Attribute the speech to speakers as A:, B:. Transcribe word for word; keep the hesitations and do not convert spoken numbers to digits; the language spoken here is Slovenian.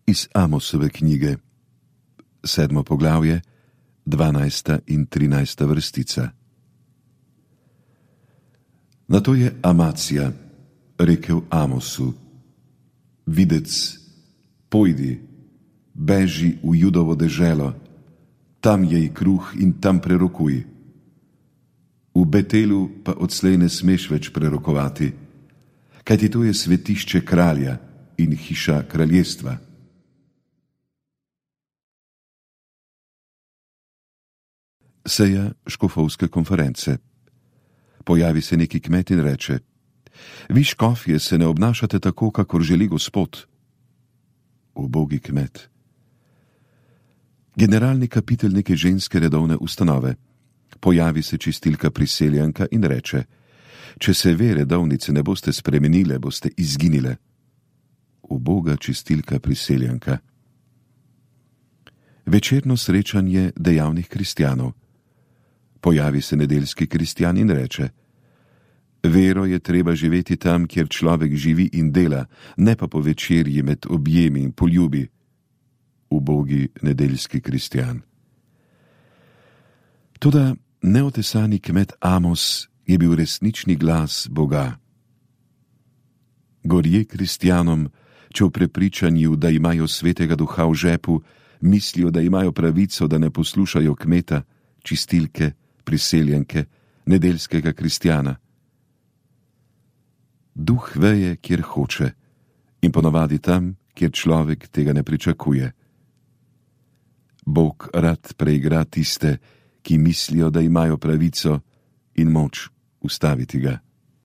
A: Iz Amosove knjige, sedmo poglavje, dvanajsta in trinajsta vrstica. Nato je Amacija rekel Amosu: Videc, pojdi, beži v Judovo deželo, tam jej kruh in tam prerokuj. V Betelu pa odslej ne smeš več prerokovati, kajti to je svetišče kralja in hiša kraljestva. Seja škofovske konference. Pojavi se neki kmet in reče: Vi škofje se ne obnašate tako, kakor želi Gospod. Ubogi kmet. Generalni kapitelj neke ženske redovne ustanove. Pojavi se čistilka priseljenka in reče: Če se ve redovnice ne boste spremenile, boste izginile. Uboga čistilka priseljenka. Večerno srečanje dejavnih kristjanov. Pojavi se nedeljski kristjan in reče: Vero je treba živeti tam, kjer človek živi in dela, ne pa po večerji med objemi in poljubi. Ubogi nedeljski kristjan. Toda neotesani kmet Amos je bil resnični glas Boga. Gorje kristjanom, če v prepričanju, da imajo svetega duha v žepu, mislijo, da imajo pravico, da ne poslušajo kmeta, čistilke, priseljenke, nedeljskega kristjana. Duh veje, kjer hoče, in ponavadi tam, kjer človek tega ne pričakuje. Bog rad preigra tiste, ki mislijo, da imajo pravico in moč ustaviti ga.